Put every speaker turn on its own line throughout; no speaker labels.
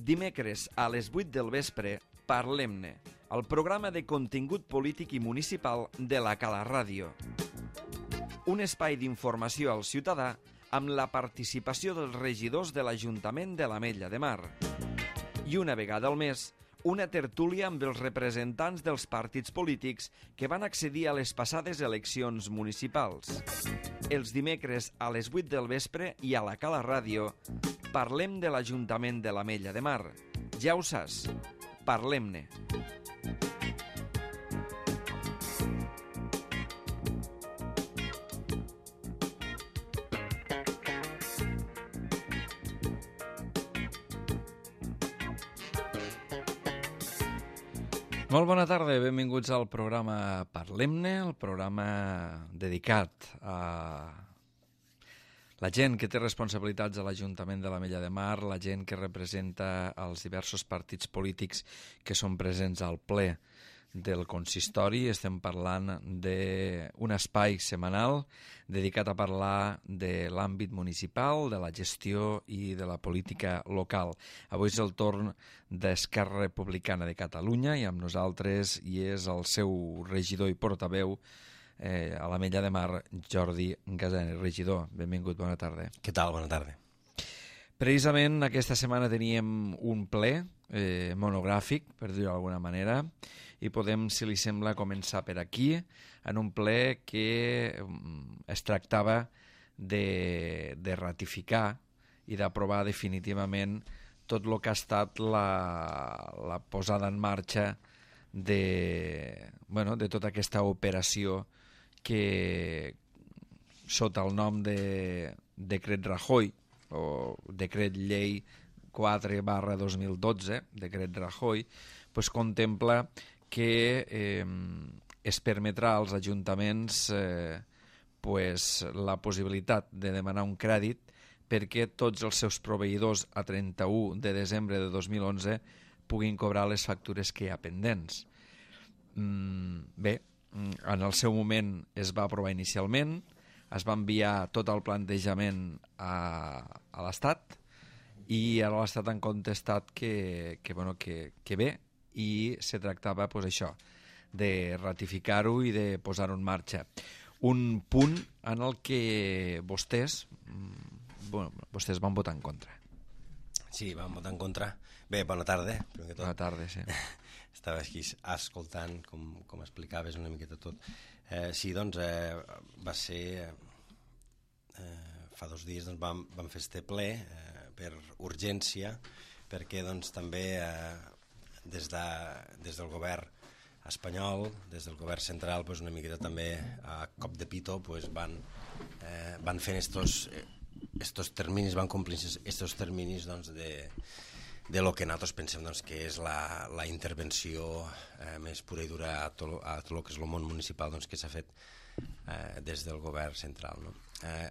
Dimecres a les 8 del vespre, Parlem-ne, el programa de contingut polític i municipal de la Cala Ràdio. Un espai d'informació al ciutadà amb la participació dels regidors de l'Ajuntament de l'Ametlla de Mar. I una vegada al mes, una tertúlia amb els representants dels partits polítics que van accedir a les passades eleccions municipals. Els dimecres a les 8 del vespre i a la Cala Ràdio parlem de l'Ajuntament de l'Ametlla de Mar. Ja ho saps, parlem-ne. Molt bona tarda, benvinguts al programa Parlem-ne, el programa dedicat a la gent que té responsabilitats a l'Ajuntament de l'Ametlla de Mar, la gent que representa els diversos partits polítics que són presents al ple del consistori. Estem parlant d'un espai setmanal dedicat a parlar de l'àmbit municipal, de la gestió i de la política local. Avui és el torn d'Esquerra Republicana de Catalunya i amb nosaltres hi és el seu regidor i portaveu a l'Ametlla de Mar, Jordi Gasani. Regidor, benvingut, bona tarda.
Què tal? Bona tarda.
Precisament aquesta setmana teníem un ple monogràfic, per dir-ho d'alguna manera, i podem, si li sembla, començar per aquí, en un ple que es tractava de ratificar i d'aprovar definitivament tot el que ha estat la posada en marxa de tota aquesta operació que, sota el nom de Decret Rajoy, o Decret Llei 4/2012, Decret Rajoy, pues contempla que es permetrà als ajuntaments la possibilitat de demanar un crèdit perquè tots els seus proveïdors a 31 de desembre de 2011 puguin cobrar les factures que hi ha pendents. Bé, en el seu moment es va aprovar inicialment, es va enviar tot el plantejament a l'Estat i ara l'Estat han contestat que bé, i se tractava això, de ratificar-ho i de posar-ho en marxa. Un punt en el que vostès van votar en contra.
Sí, vam votar en contra. Bé, bona tarda.
Bona tarda, sí.
Estava aquí escoltant com explicaves una miqueta tot. Sí, doncs va ser... fa 2 dies vam fer este ple per urgència, perquè doncs també des del govern espanyol, des del govern central, una miqueta també a cop de pito van fent estos terminis, van complir estos terminis de lo que nosaltres pensem que és la intervenció més pura i dura a tot el que és el món municipal que s'ha fet des del govern central.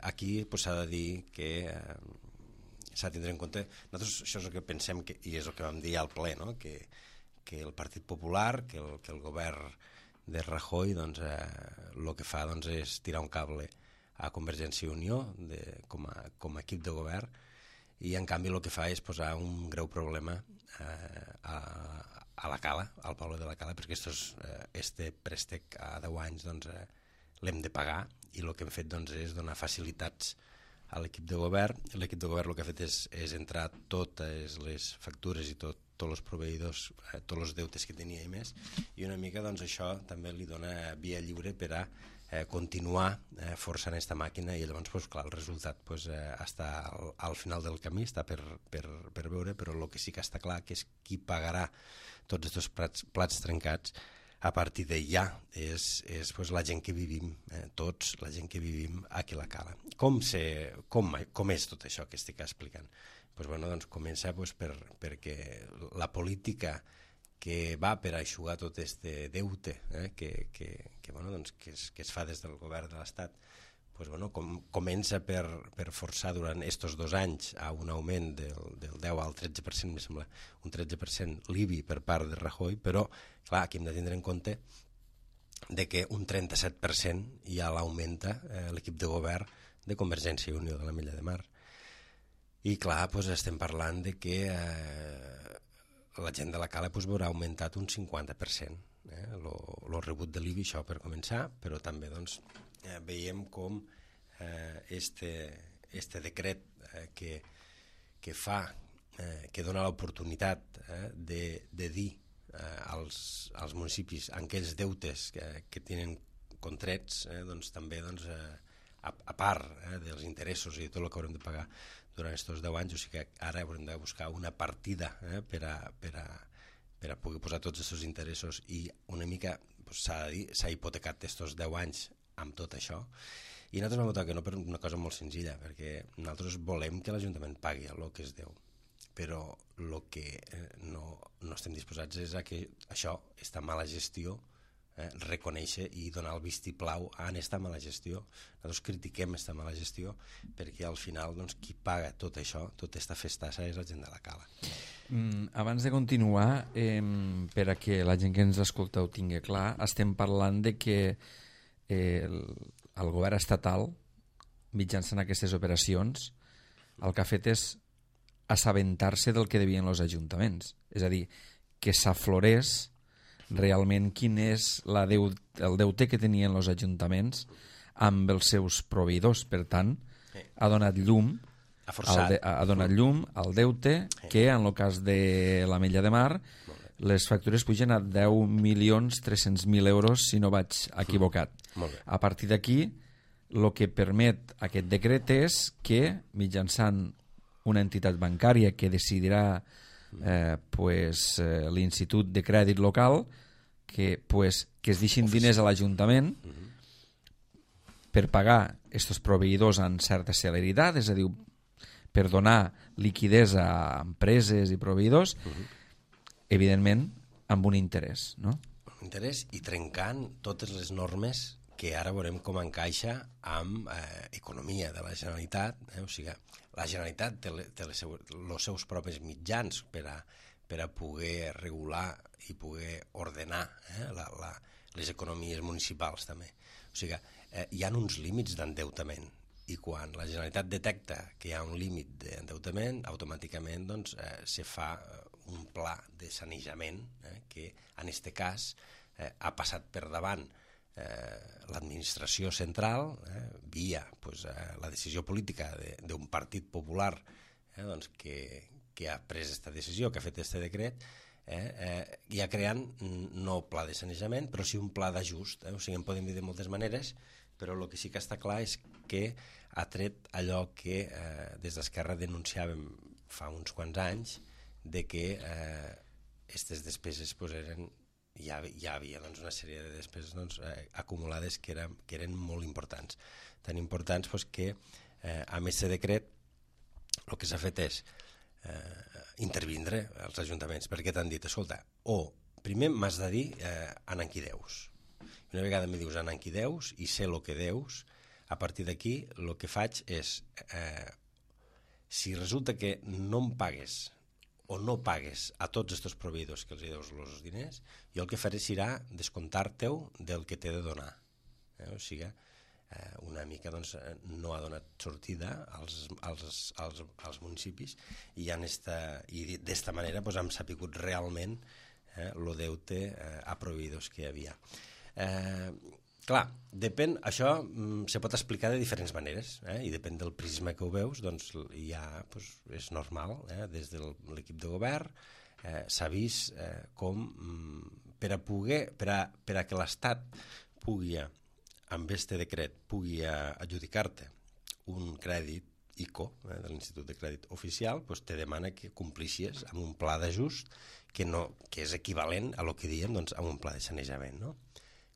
Aquí s'ha de dir que s'ha de tindre en compte, nosaltres això és el que pensem i és el que vam dir al ple, que el Partit Popular, que el govern de Rajoy el que fa és tirar un cable a Convergència i Unió com a equip de govern, i en canvi el que fa és posar un greu problema a la Cala, al poble de la Cala, perquè este préstec a 10 anys l'hem de pagar, i el que hem fet és donar facilitats a l'equip de govern. L'equip de govern el que ha fet és entrar totes les factures i tots els proveïdors, tots els deutes que tenia i més, i una mica això també li dona via lliure per a continuar forçant aquesta màquina, i llavors clar, el resultat està al final del camí, està per veure, però el que sí que està clar que és qui pagarà tots aquests plats trencats a partir de ja és la gent que vivim, tots la gent que vivim aquí a la Cala. Com és tot això que estic explicant? Comença perquè la política que va per eixugar tot este deute que es fa des del govern de l'Estat, comença per forçar durant estos 2 anys a un augment del 10 al 13%, me sembla, un 13% l'IBI per part de Rajoy, però clar, aquí hem de tindre en compte de que un 37% ja l'augmenta l'equip de govern de Convergència i Unió de l'Ametlla de Mar. I clar, doncs estem parlant de que la gent de la Cala veurà augmentat un 50%. Lo rebut de l'IBI, això per començar, però també doncs, veiem com este decret que fa, que dona l'oportunitat de dir als municipis en aquells deutes que tenen contrets, doncs també a part dels interessos i tot el que haurem de pagar durant aquests 10 anys, o sigui que ara haurem de buscar una partida per a poder posar tots aquests interessos, i una mica s'ha de dir, s'ha hipotecat aquests 10 anys amb tot això, i nosaltres vam votar que no per una cosa molt senzilla, perquè nosaltres volem que l'Ajuntament pagui el que es deu, però el que no estem disposats és a que això, aquesta mala gestió, reconèixer i donar el vistiplau a aquesta mala gestió. Nosaltres critiquem aquesta mala gestió perquè al final qui paga tot això, tota aquesta festassa, és la gent de la Cala.
Abans de continuar, per a que la gent que ens escolta ho tingui clar, estem parlant de que el govern estatal, mitjançant aquestes operacions, el que ha fet és assabentar-se del que devien els ajuntaments. És a dir, que s'aflorés realment quin és el deute que tenien els ajuntaments amb els seus proveïdors. Per tant, ha donat llum al deute, que en el cas de l'Ametlla de Mar les factures pugen a 10.300.000 euros, si no vaig equivocat. A partir d'aquí, el que permet aquest decret és que, mitjançant una entitat bancària que decidirà l'Institut de Crèdit Local, que es deixin diners a l'Ajuntament per pagar aquests proveïdors amb certa celeritat, és a dir, per donar liquiditat a empreses i proveïdors, evidentment amb un interès, no?
Un interès, i trencant totes les normes que ara veurem com encaixa amb economia de la Generalitat. O sigui, la Generalitat té els seus propis mitjans per a poder regular i poder ordenar les economies municipals també. O sigui, hi ha uns límits d'endeutament, i quan la Generalitat detecta que hi ha un límit d'endeutament, automàticament se fa un pla de sanejament que en aquest cas ha passat per davant l'administració central via la decisió política d'un partit popular que ha pres aquesta decisió, que ha fet aquest decret, ja creant no pla de sanejament, però sí un pla d'ajust. O sigui, en podem dir de moltes maneres, però el que sí que està clar és que ha tret allò que des d'Esquerra denunciàvem fa uns quants anys, de que aquestes despeses eren... Hi havia una sèrie de despeses acumulades que eren molt importants. Tan importants que amb aquest decret el que s'ha fet és intervindre als ajuntaments, perquè t'han dit, escolta, primer m'has de dir en qui deus. Una vegada me dius en qui deus i sé el que deus, a partir d'aquí el que faig és, si resulta que no em pagues o no pagues a tots aquests proveïdors que els deus els diners, jo el que faré serà descomptar-te-ho del que t'he de donar. O sigui, una mica no ha donat sortida als municipis, i d'esta manera hem sapigut realment el deute a proveïdors que hi havia. Clar, depèn, això se pot explicar de diferents maneres, i depèn del prisma que ho veus, és normal, des de l'equip de govern s'ha vist com per a que l'Estat pugui, amb aquest decret, pugui adjudicar-te un crèdit ICO, de l'Institut de Crèdit Oficial, te demana que complixis amb un pla d'ajust que és equivalent a el que diem a un pla de sanejament, no?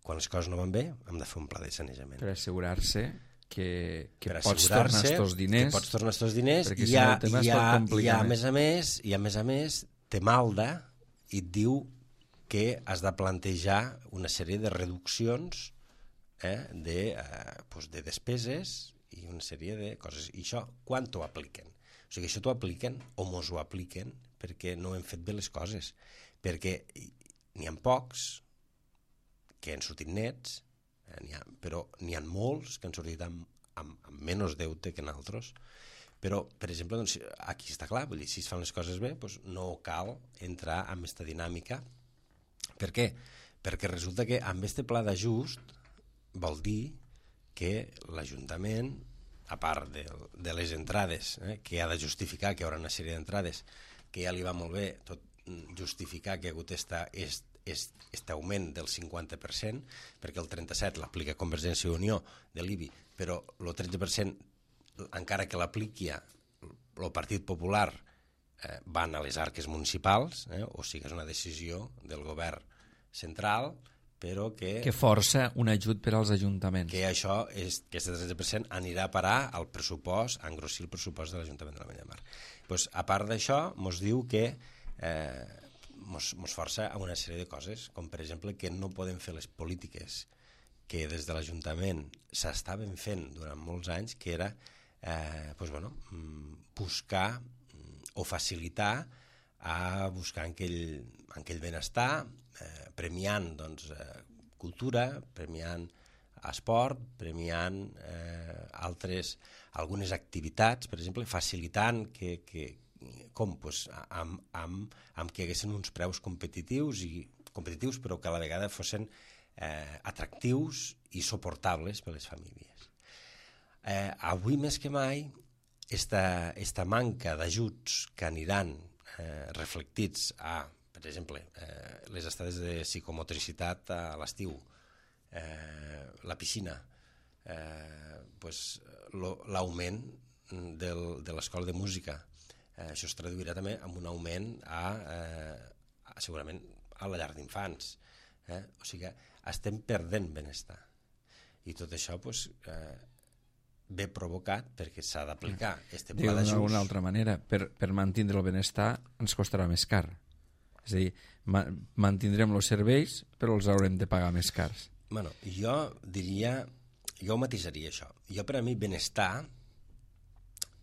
Quan les coses no van bé, hem de fer un pla de sanejament.
Per assegurar-se que pots tornar estos diners.
Que pots tornar estos diners,
perquè si no el tema es pot complicar més.
I a més te malda i et diu que has de plantejar una sèrie de reduccions de despeses i una sèrie de coses. I això, quan t'ho apliquen? O sigui, això t'ho apliquen o mos ho apliquen perquè no hem fet bé les coses. Perquè n'hi ha pocs que han sortit nets, però n'hi ha molts que han sortit amb menys deute que nosaltres, Però, per exemple, doncs, aquí està clar, vull dir, si es fan les coses bé, doncs no cal entrar en aquesta dinàmica. Per què? Perquè resulta que amb aquest pla d'ajust vol dir que l'Ajuntament, a part de les entrades, que ha de justificar que hi haurà una sèrie d'entrades, que ja li va molt bé tot justificar que hi ha hagut aquest augment del 50%, perquè el 37% l'aplica Convergència i Unió de l'IBI, però el 13%, encara que l'apliqui el Partit Popular, van a les arques municipals, o sigui, és una decisió del govern central, però que
força un ajut per als ajuntaments.
Que això, aquest 13% anirà a parar al pressupost, a engrossir el pressupost de l'Ajuntament de l'Ametlla de Mar. Pues, a part d'això, ens diu que ens força a una sèrie de coses, com per exemple que no podem fer les polítiques que des de l'Ajuntament s'estaven fent durant molts anys, que era buscar o facilitar a buscar aquell benestar, premiant cultura, premiant esport, premiant algunes activitats, per exemple, facilitant com que haguessin uns preus competitius, però que a la vegada fossin atractius i suportables per a les famílies. Avui més que mai, esta manca d'ajuts que aniran reflectits a, per exemple, les estades de psicomotricitat a l'estiu, la piscina, l'augment de l'escola de música, això es traduirà també en un augment segurament a la llar d'infants. O sigui que estem perdent benestar. I tot això ve provocat perquè s'ha d'aplicar este pla d'ajust.
D'una altra manera, per mantenir el benestar ens costarà més car. És a dir, mantindrem els serveis però els haurem de pagar més cars.
Bueno, jo matisaria això. Per a mi benestar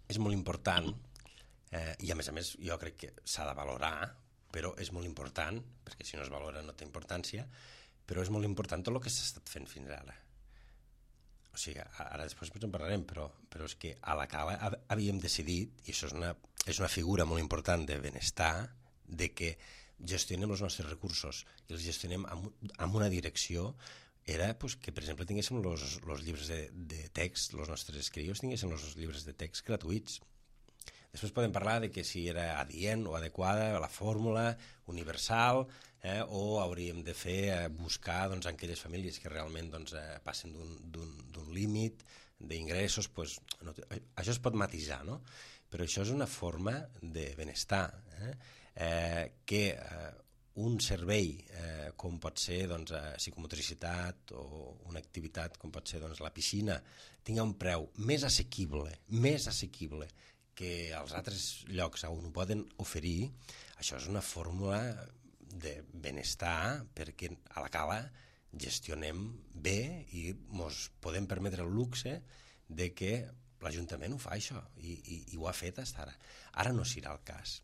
és molt important, i a més jo crec que s'ha de valorar, però és molt important, perquè si no es valora no té importància, però és molt important tot el que s'ha estat fent fins ara. O sigui, ara després en parlarem, però és que a la cala havíem decidit, i això és una figura molt important de benestar, de que gestionem els nostres recursos i els gestionem amb una direcció, era que, per exemple, tinguéssim els llibres de text, els nostres crios tinguessin els llibres de text gratuïts. Després podem parlar de que si era adient o adequada la fórmula universal, o hauríem de buscar aquelles famílies que realment passen d'un límit d'ingressos. Això es pot matisar, no? Però això és una forma de benestar, que un servei com pot ser psicomotricitat o una activitat com pot ser la piscina tingui un preu més assequible que als altres llocs on ho poden oferir. Això és una fórmula de benestar perquè a la cala gestionem bé i ens podem permetre el luxe de que l'Ajuntament ho fa això i ho ha fet fins ara. Ara no serà el cas.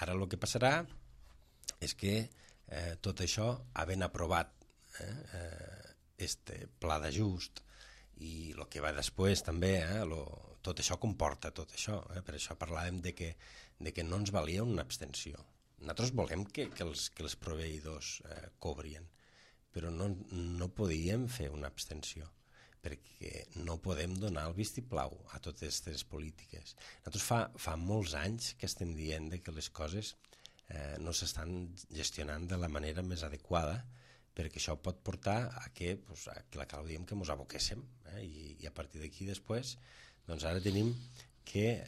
Ara el que passarà és que tot això, havent aprovat este pla d'ajust i el que va després també, tot això comporta tot això. Per això parlàvem de que no ens valia una abstenció. Nosaltres volem que els proveïdors cobrien, però no podíem fer una abstenció, perquè no podem donar el vistiplau a totes aquestes polítiques. Nosaltres fa molts anys que estem dient que les coses no s'estan gestionant de la manera més adequada, perquè això pot portar a que la clau diem que ens aboquéssim, i a partir d'aquí després ara tenim que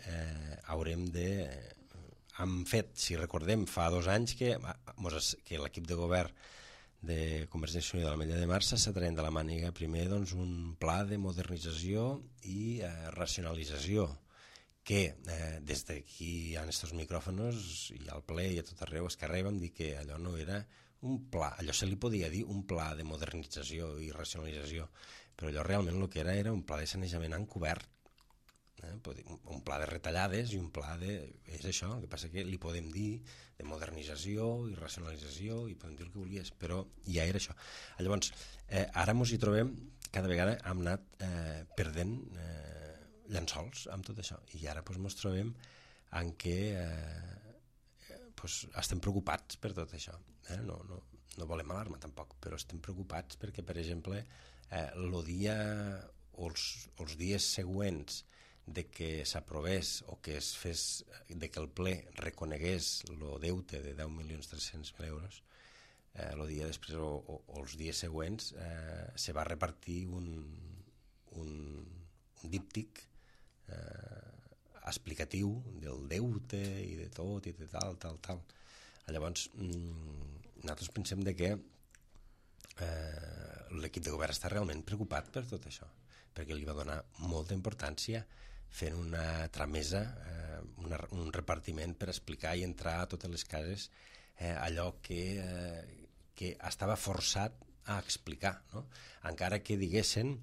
haurem de... Hem fet, si recordem, fa 2 anys que l'equip de govern de Convergència i Unió de l'Ametlla de Mar s'està traient de la màniga primer un pla de modernització i racionalització que des d'aquí a aquests micròfons i al ple i a tot arreu es carrega vam dir que allò no era un pla, allò se li podia dir un pla de modernització i racionalització, però allò realment el que era un pla de sanejament encobert, un pla de retallades i un pla de... És això, el que passa que li podem dir de modernització i racionalització i podem dir el que volies, però ja era això. Llavors, ara ens hi trobem, cada vegada hem anat perdent llençols amb tot això. I ara ens trobem en què estem preocupats per tot això. No volem alarma tampoc, però estem preocupats perquè, per exemple, el dia o els dies següents de que s'aprovés o que es fes, de que el ple reconegués el deute de 10.300.000 euros, el dia després o els dies següents se va repartir un díptic explicatiu del deute i de tot i de tal. Llavors, nosaltres pensem que l'equip de govern està realment preocupat per tot això, perquè li va donar molta importància fent una tramesa, un repartiment per explicar i entrar a totes les cases allò que estava forçat a explicar, no? Encara que diguessin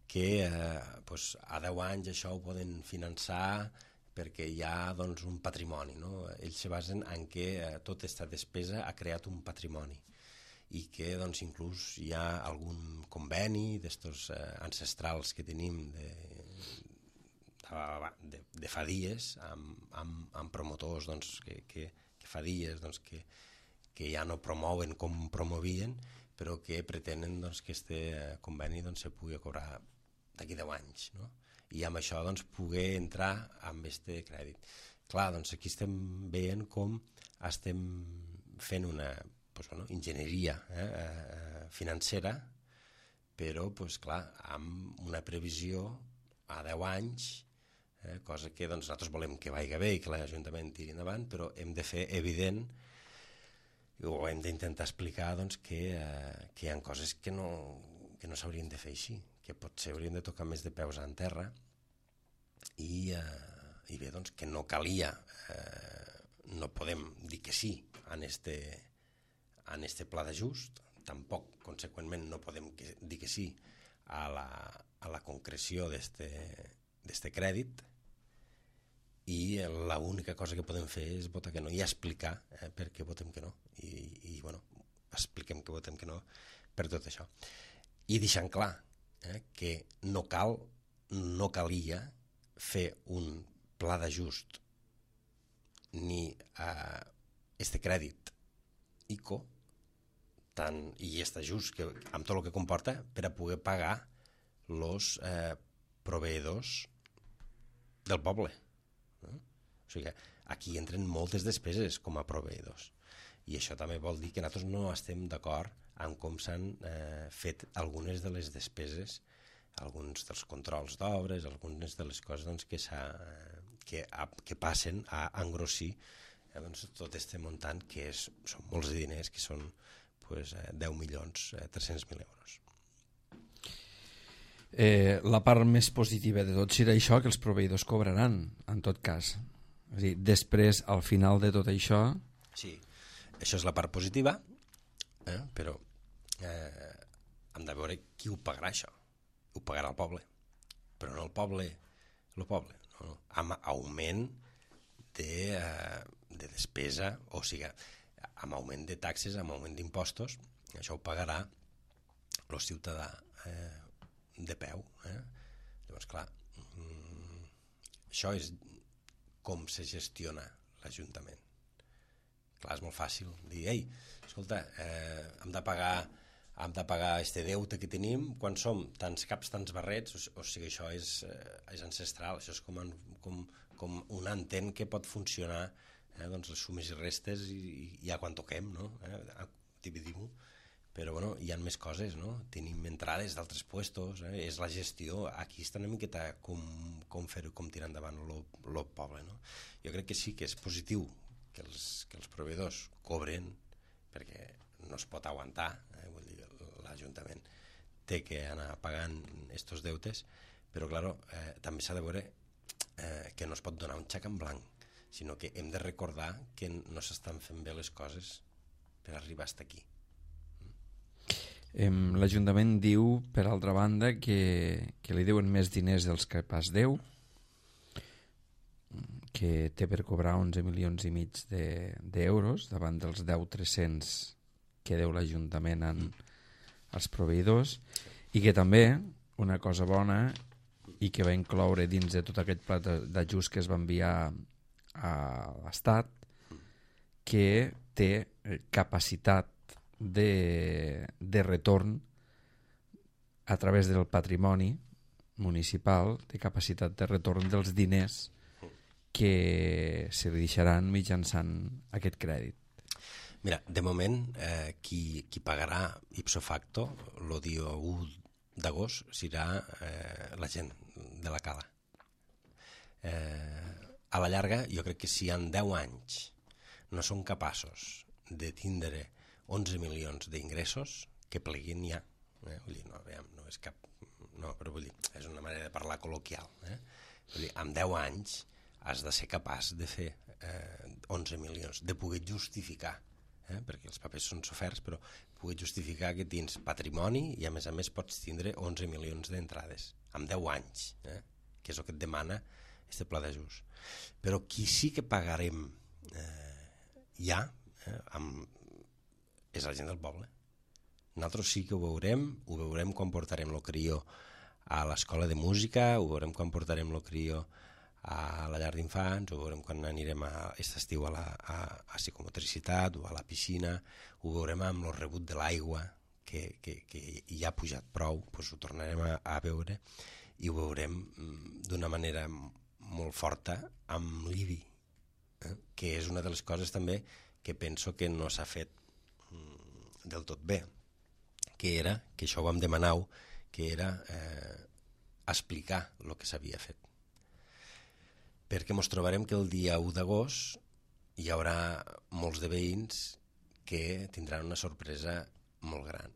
que a 10 anys això ho poden finançar perquè hi ha un patrimoni, no? Ells se basen en que tota aquesta despesa ha creat un patrimoni i que inclús hi ha algun conveni d'estos ancestrals que tenim de fa dies amb promotors que fa dies que ja no promouen com promovien, però que pretenen que aquest conveni se pugui cobrar d'aquí 10 anys, no? I amb això poder entrar amb aquest crèdit. Clar, aquí estem veient com estem fent una enginyeria financera, però clar, amb una previsió a 10 anys, cosa que nosaltres volem que vagi bé i que l'Ajuntament tiri endavant, però hem de fer evident o hem d'intentar explicar que hi ha coses que no s'haurien de fer així, que potser hauríem de tocar més de peus en terra i bé, que no calia, no podem dir que sí en este pla d'ajust, tampoc, conseqüentment, no podem dir que sí a la concreció d'este crèdit, i l'única cosa que podem fer és votar que no i explicar per què votem que no, i expliquem que votem que no per tot això, i deixant clar que no calia fer un pla d'ajust ni este crèdit ICO i aquest ajust amb tot el que comporta per a poder pagar els proveïdors del poble. O sigui, aquí entren moltes despeses com a proveïdors, i això també vol dir que nosaltres no estem d'acord amb com s'han fet algunes de les despeses, alguns dels controls d'obres, algunes de les coses que passen a engrossir tot aquest muntant, que són molts diners, que són 10.300.000 euros.
La part més positiva de tot serà això, que els proveïdors cobraran, en tot cas. És a dir, després, al final de tot això...
Sí, això és la part positiva, però hem de veure qui ho pagarà, això. Ho pagarà el poble, però no el poble, no. Amb augment de despesa, o sigui, amb augment de taxes, amb augment d'impostos, això ho pagarà el ciutadà de peu. Llavors, clar, això és com se gestiona l'Ajuntament. Clar, és molt fàcil dir, ei, escolta, hem de pagar este deute que tenim quan som tants caps, tants barrets, o sigui, això és ancestral, això és com un entén que pot funcionar, les sumes i restes i ja quan toquem, no? Dividim-ho. Però bueno, hi ha més coses, no? Tenim entrades d'altres puestos, és la gestió, aquí està una miqueta com fer-ho, com tirar endavant el poble, no? Jo crec que sí que és positiu que els proveïdors cobren, perquè no es pot aguantar, vull dir, l'Ajuntament té que anar pagant estos deutes, però clar, també s'ha de veure que no es pot donar un xec en blanc, sinó que hem de recordar que no s'estan fent bé les coses per arribar fins aquí.
L'Ajuntament diu, per altra banda, que li deuen més diners dels que pas deu, que té per cobrar 11,5 milions d'euros davant dels 10.300 que deu l'Ajuntament als proveïdors, i que també, una cosa bona, i que va incloure dins de tot aquest pla d'ajust que es va enviar a l'Estat, que té capacitat de retorn a través del patrimoni municipal, de capacitat de retorn dels diners que se li deixaran mitjançant aquest crèdit.
Mira, de moment, qui pagarà ipso facto el dia 1 d'agost serà la gent de la cala. A la llarga, jo crec que si en 10 anys no són capaços de tindre 11 milions d'ingressos, que pleguin ja. Vull dir, no és cap... No, però vull dir, és una manera de parlar col·loquial. Vull dir, en 10 anys has de ser capaç de fer 11 milions, de poder justificar, perquè els papers són soferts, però poder justificar que tens patrimoni i a més pots tindre 11 milions d'entrades, en 10 anys, que és el que et demana aquest pla d'ajust. Però qui sí que pagarem ja és la gent del poble. Nosaltres sí que ho veurem quan portarem el crió a l'escola de música, ho veurem quan portarem el crió a la llar d'infants, ho veurem quan anirem aquest estiu a psicomotricitat o a la piscina, ho veurem amb el rebut de l'aigua, que ja ha pujat prou, doncs ho tornarem a veure, i ho veurem d'una manera molt forta amb l'IBI, que és una de les coses també que penso que no s'ha fet del tot bé, que això ho vam demanar, que era explicar el que s'havia fet. Perquè ens trobarem que el dia 1 d'agost hi haurà molts de veïns que tindran una sorpresa molt gran.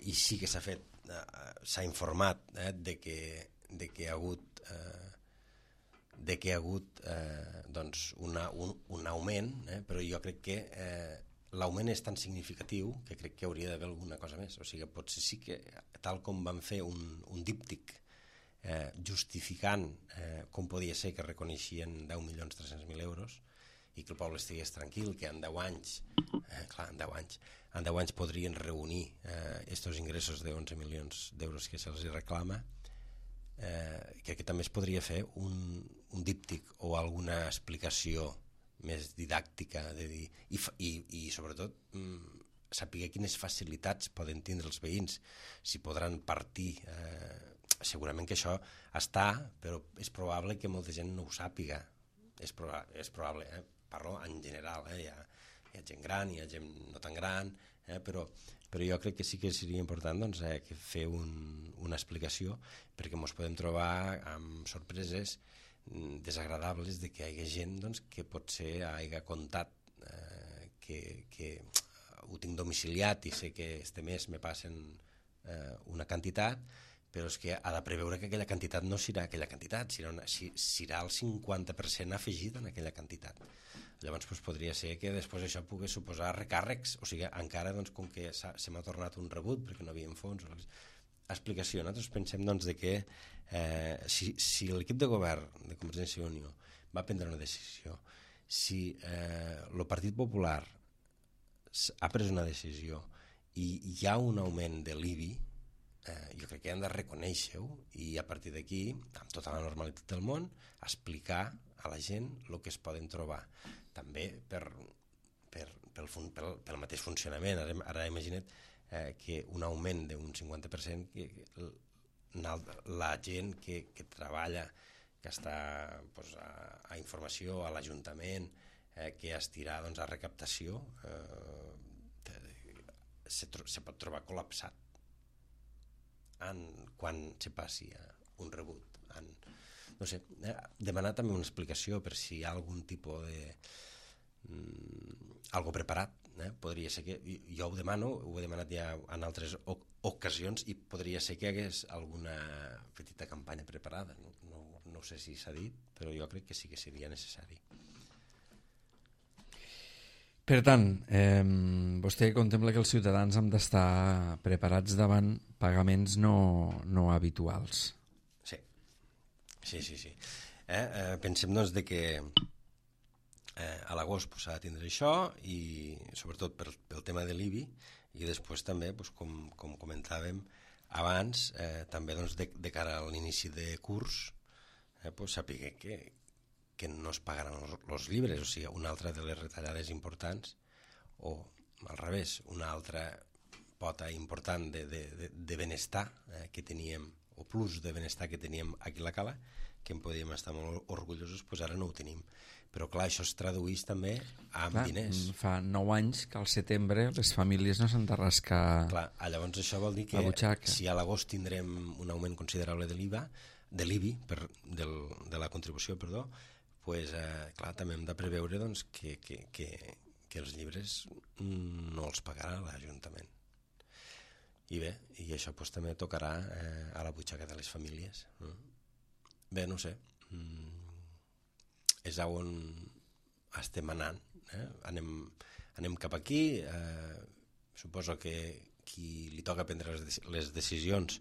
I sí que s'ha informat de que hi ha hagut doncs un augment, però jo crec que l'augment és tan significatiu que crec que hauria d'haver alguna cosa més. O sigui, potser sí que, tal com van fer un díptic justificant com podia ser que reconeixien 10.300.000 euros i que el poble estigués tranquil, que en 10 anys, en 10 anys podrien reunir estos ingressos de 11 milions d'euros que se'ls reclama, crec que també es podria fer un díptic o alguna explicació més didàctica de dir, i sobretot saber quines facilitats poden tindre els veïns, si podran partir. Segurament que això està, però és probable que molta gent no ho sàpiga. És probable, parlo en general, hi ha gent gran, hi ha gent no tan gran, però jo crec que sí que seria important doncs, fer una explicació, perquè ens podem trobar amb sorpreses desagradables de que hi hagi gent doncs, que potser hagi comptat que ho tinc domiciliat i sé que este mes me passen una quantitat, però és que ha de preveure que aquella quantitat no serà aquella quantitat, serà el 50% afegit en aquella quantitat. Llavors doncs, podria ser que després això pogués suposar recàrrecs, o sigui, encara doncs, com que se m'ha tornat un rebut perquè no havia fons. Explicació. Nosaltres pensem doncs, que si l'equip de govern de Convergència i Unió va prendre una decisió, si el Partit Popular ha pres una decisió i hi ha un augment de l'IBI, jo crec que hem de reconèixer-ho i a partir d'aquí, amb tota la normalitat del món, explicar a la gent el que es poden trobar. També pel mateix funcionament. Ara imagina't que un augment d'un 50%, la gent que treballa, que està a informació, a l'Ajuntament, que estirà a recaptació, se pot trobar col·lapsat quan se passi un rebut. No sé, demanar també una explicació per si hi ha algun tipus de algo preparat. Podria ser que, jo ho demano, ho he demanat ja en altres ocasions, i podria ser que hi hagués alguna petita campanya preparada. No sé si s'ha dit, però jo crec que sí que seria necessari.
Per tant, vostè contempla que els ciutadans han d'estar preparats davant pagaments no habituals.
Sí. Pensem doncs que a l'agost s'ha de tindre això, i sobretot pel tema de l'IBI, i després també, com comentàvem, abans, també doncs, de cara a l'inici de curs, pues, sàpiga que no es pagaran els llibres, o sigui, una altra de les retallades importants, o al revés, una altra pota important de benestar que teníem, o plus de benestar que teníem aquí a la Cala, que en podíem estar molt orgullosos, doncs ara no ho tenim. Però clar, això es tradueix també amb diners.
Fa 9 anys que al setembre les famílies no s'han de rascar.
Clar, llavors això vol dir que si a l'agost tindrem un augment considerable de l'IVA, de l'IBI, de la contribució, perdó, pues, clar, també hem de preveure doncs, que els llibres no els pagarà l'Ajuntament. I bé, i això pues, també tocarà a la butxaca de les famílies. Bé, no sé, és on estem anant. Anem cap aquí, suposo que qui li toca prendre les decisions,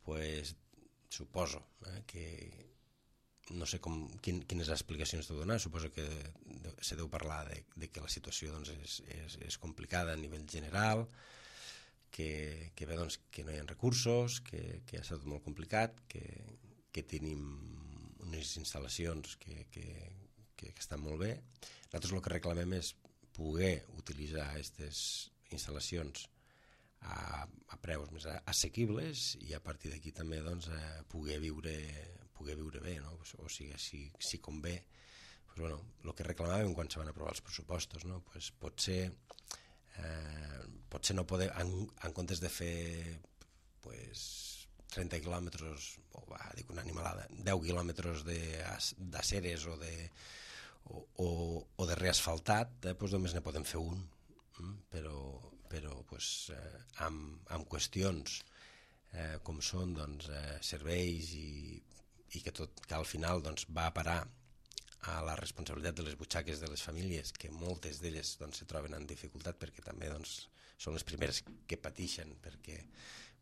pues, suposo que no sé quines explicacions deu donar, suposo que se deu parlar de que la situació doncs, és complicada a nivell general, que bé, doncs, que no hi ha recursos, que ha estat molt complicat, que tenim unes instal·lacions que estan molt bé. Nosaltres el que reclamem és poder utilitzar aquestes instal·lacions a preus més assequibles i a partir d'aquí també doncs, poder viure bé, no? O sigui, si convé, pues, bueno, el que reclamàvem quan se van aprovar els pressupostos, no? Pues, potser no poder, en comptes de fer pues, 30 quilòmetres, dic una animalada, 10 quilòmetres d'aceres o de reasfaltat, doncs només ne podem fer un, però pues, amb qüestions com són doncs, serveis i que al final doncs, va a parar a la responsabilitat de les butxaques de les famílies, que moltes d'elles doncs, se troben en dificultat perquè també doncs, són les primeres que pateixen, perquè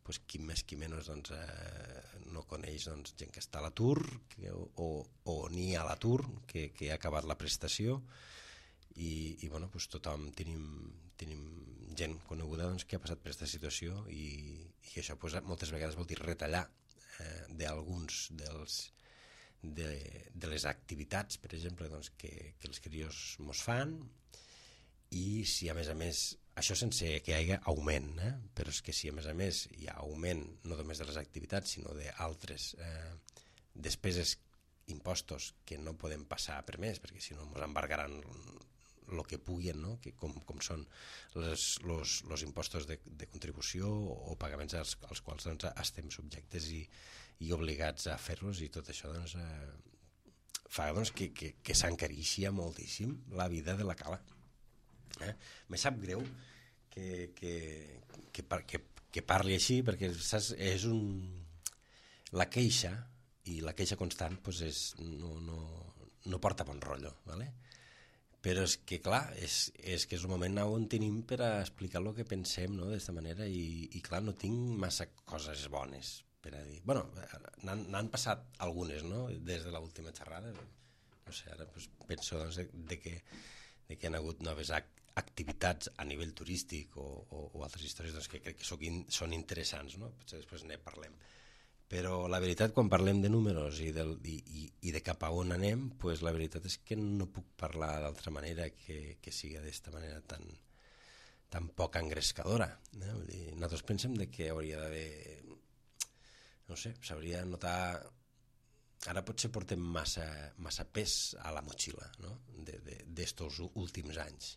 pues, qui més qui menys doncs, no coneix doncs, gent que està a l'atur o ni a l'atur, que ha acabat la prestació i bueno, pues, tothom tenim gent coneguda doncs, que ha passat per aquesta situació i això pues, moltes vegades vol dir retallar d'alguns de les activitats, per exemple, doncs, que els crios mos fan i si a més, això sense que hi hagi augment, però és que si a més hi ha augment no només de les activitats sinó d'altres despeses, impostos que no podem passar per més perquè si no ens embargaran el que puguin, no? Que com són els impostos de contribució o pagaments als quals doncs, estem subjectes i obligats a fer-los i tot això doncs, fa doncs, que s'encareixia moltíssim la vida de la Cala. Me sap greu que parli així perquè saps, és la queixa i la queixa constant pues, no porta bon rotllo, ¿vale? Però és que clar, és que és el moment on tenim per a explicar el que pensem, no? D'esta manera i clar, no tinc massa coses bones per a dir. Bueno, n'han passat algunes, no? Des de l'última xerrada, no sé, ara pues, penso doncs, de que hi ha hagut noves activitats a nivell turístic o altres històries doncs, que crec que són interessants, no? Potser després ne parlem. Però la veritat, quan parlem de números i de cap a on anem, pues la veritat és que no puc parlar d'altra manera que sigui d'esta manera tan poc engrescadora. Vull dir, nosaltres pensem que hauria d'haver, no sé, s'hauria de notar... Ara potser portem massa pes a la motxilla, no? d'estos últims anys.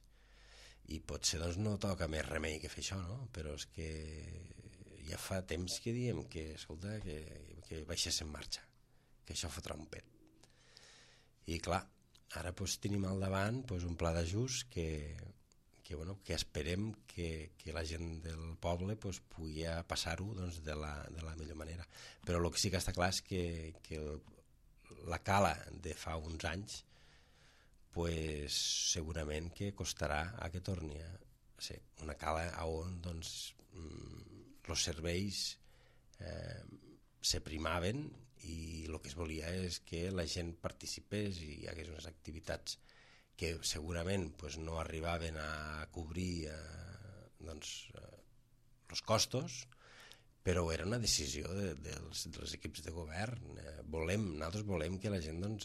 I potser doncs, no toca més remei que fer això, no? Però és que ja fa temps que diem que, escolta, que baixés en marxa, que això fotrà un pet. I clar, ara doncs, tenim al davant doncs, un pla d'ajust que esperem que la gent del poble doncs, pugui passar-ho doncs, de la millor manera. Però el que sí que està clar és que la Cala de fa uns anys pues, segurament que costarà que torni a ser una Cala on doncs, els serveis se primaven i el que es volia és que la gent participés i hi hagués unes activitats que segurament pues, no arribaven a cobrir els costos, però era una decisió dels equips de govern. Nosaltres volem que la gent doncs,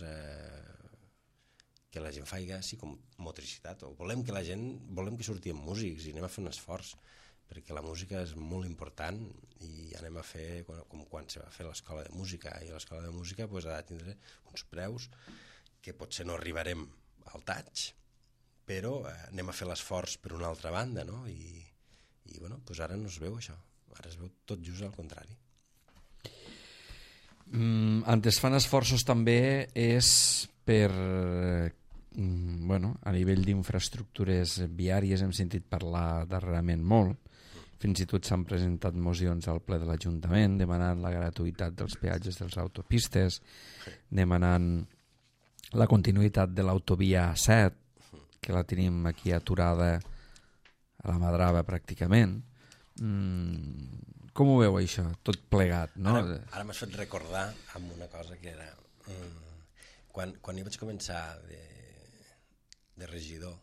que la gent faci així com motricitat, o volem que surtin músics i anem a fer un esforç, perquè la música és molt important i anem a fer com quan se va fer l'escola de música, i l'escola de música ha de tindre uns preus que potser no arribarem al taig, però anem a fer l'esforç per una altra banda, no? I ara no es veu això, ara es veu tot just al contrari.
On es fan esforços també és per a nivell d'infraestructures viàries, hem sentit parlar darrerament molt, fins i tot s'han presentat mocions al ple de l'Ajuntament demanant la gratuïtat dels peatges de les autopistes, demanant la continuïtat de l'autovia 7, que la tenim aquí aturada a la Madrava pràcticament. Com ho veu això, tot plegat? No?
Ara m'has fet recordar amb una cosa que era... Quan jo vaig començar de regidor,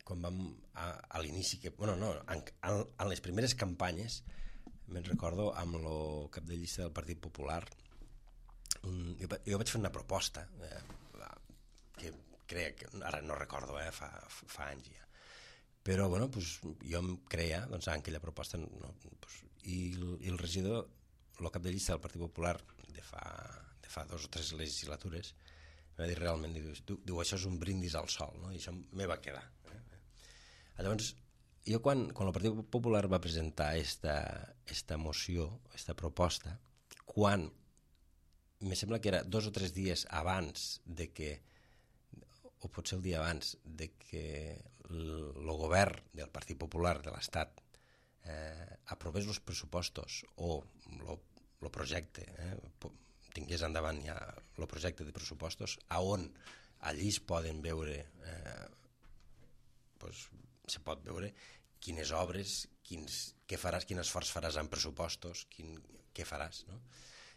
quan vam a l'inici, en les primeres campanyes, me'n recordo amb el cap de llista del Partit Popular, jo vaig fer una proposta que crec, ara no recordo, fa anys ja, però jo em creia en aquella proposta, i el regidor, el cap de llista del Partit Popular de fa 2 o 3 legislatures, em va dir realment, diu, això és un brindis al sol, no? I això me va quedar. Llavors, jo quan el Partit Popular va presentar esta moció, esta proposta, quan me sembla que era 2 o 3 dies abans de que, o potser el dia abans, de que el govern del Partit Popular de l'Estat aprovés els pressupostos o el projecte, tingués endavant ja el projecte de pressupostos, on allí es poden veure, se pot veure quines obres, què faràs, quin esforç faràs en pressupostos, què faràs, no?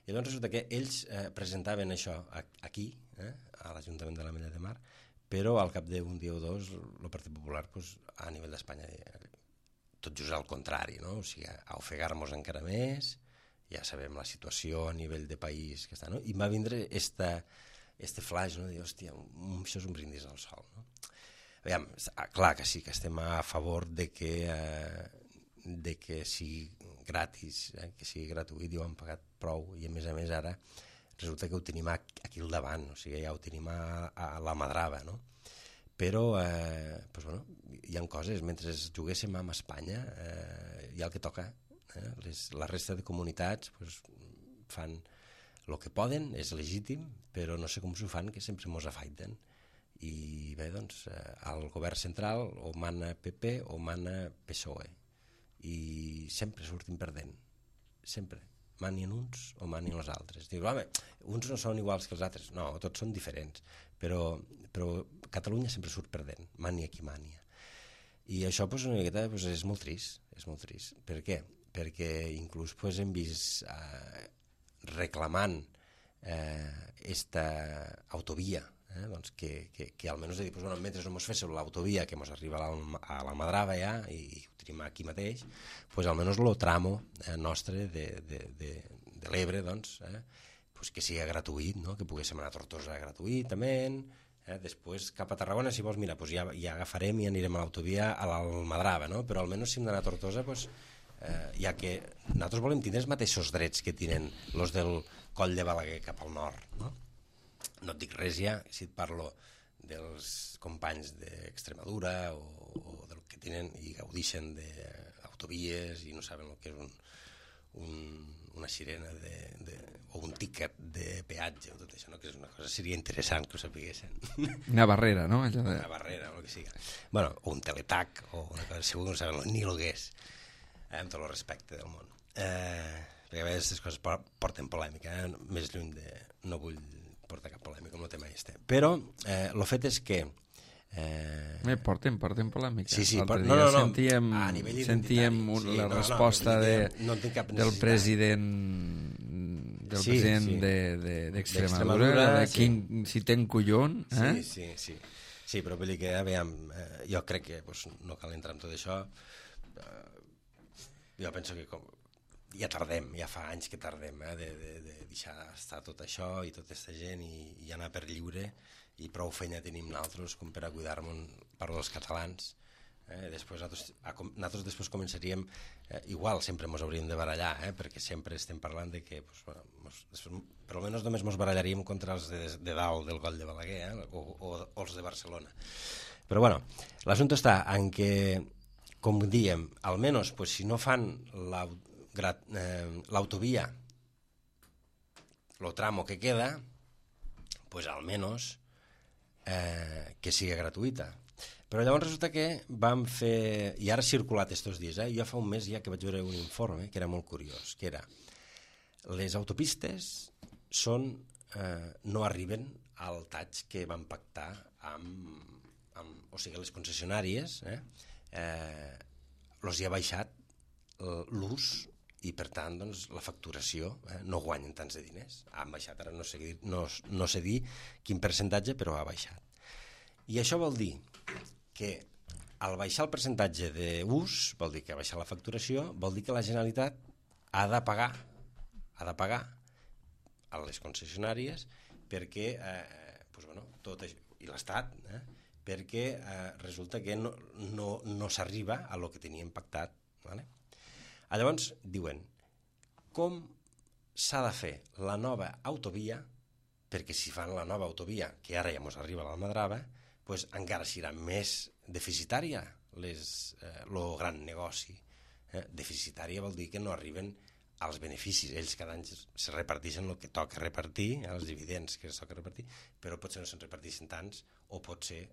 I llavors resulta que ells presentaven això aquí, a l'Ajuntament de l'Ametlla de Mar, però al cap d'un dia o dos el Partit Popular a nivell d'Espanya tot just al contrari, no? O sigui, a ofegar-nos encara més, ja sabem la situació a nivell de país que està, no? I va vindre este flash, no? De dir, hòstia, això és un brindis al sol, no? Aviam, clar que sí, que estem a favor de que sigui gratis, que sigui gratuït, i ho han pagat prou, i a més ara resulta que ho tenim aquí al davant, o sigui, ja ho tenim a la Madrava, no? Però, hi ha coses, mentre juguéssim amb Espanya, hi ha el que toca, la resta de comunitats fan el que poden, és legítim, però no sé com s'ho fan, que sempre mos afaiten. I bé, doncs, al govern central o mana PP o mana PSOE, i sempre sortim perdent, sempre, manien uns o manien els altres. Diu, home, uns no són iguals que els altres, no, tots són diferents, però Catalunya sempre surt perdent, mania qui mania. I això una miqueta és molt trist, és molt trist. Per què? Perquè inclús hem vist reclamant esta autovia, doncs que almenys mentre no ens féssiu l'autovia que ens arriba a la Madrava ja, i ho tenim aquí mateix, almenys el tramo nostre de l'Ebre, que sigui gratuït, que poguéssim anar a Tortosa gratuïtament, després cap a Tarragona, si vols, mira, ja agafarem i anirem a l'autovia a la Madrava, però almenys si hem d'anar a Tortosa, ja que nosaltres volem tindre els mateixos drets que tenen els del Coll de Balaguer cap al nord, no? No et dic res ja si et parlo dels companys d'Extremadura o del que tenen i gaudixen d'autovies i no saben el que és una sirena o un tíquet de peatge o tot això, no? Que és una cosa, seria interessant que ho sapiguessin.
Una barrera, no?
Una barrera, o el que sigui. Bueno, o un teletac o una cosa, segur que no saben ni el que és, amb tot el respecte del món. Perquè a vegades aquestes coses porten polèmica, més lluny de... No vull portar cap polèmica amb el tema este. Però el fet és que...
Porten polèmica.
Sí,
no. Sentíem la resposta del president d'Extremadura, si ten collon.
Sí, però vull dir que, jo crec que no cal entrar en tot això. jo penso que ja tardem, ja fa anys que tardem de deixar estar tot això i tota aquesta gent i anar per lliure, i prou feina tenim nosaltres com per a cuidar-nos per als catalans. Després nosaltres després començaríem igual, sempre ens hauríem de barallar, perquè sempre estem parlant de que per almenys només ens barallaríem contra els de dalt del Coll de Balaguer o els de Barcelona. Però bueno, l'assumpte està en que, com diem, almenys si no fan l'autovia, el tramo que queda, almenys que sigui gratuïta. Però llavors resulta que vam fer, i ara ha circulat estos dies, jo fa un mes ja que vaig veure un informe que era molt curiós, que era les autopistes no arriben al taig que van pactar o sigui, les concessionàries els hi ha baixat l'ús i per tant la facturació, no guanyen tants de diners, han baixat, ara no sé dir quin percentatge, però ha baixat. I això vol dir que al baixar el percentatge d'ús, vol dir que ha baixat la facturació, vol dir que la Generalitat ha de pagar a les concessionàries perquè, tot això, i l'Estat, perquè resulta que no s'arriba a lo que teníem pactat. Llavors diuen, com s'ha de fer la nova autovia, perquè si fan la nova autovia, que ara ja ens arriba a l'Almadrava, encara serà més deficitària el gran negoci. Deficitària vol dir que no arriben als beneficis. Ells cada any se reparteixen el que toca repartir, els dividends que es toca repartir, però potser no se'n reparteixen tants o potser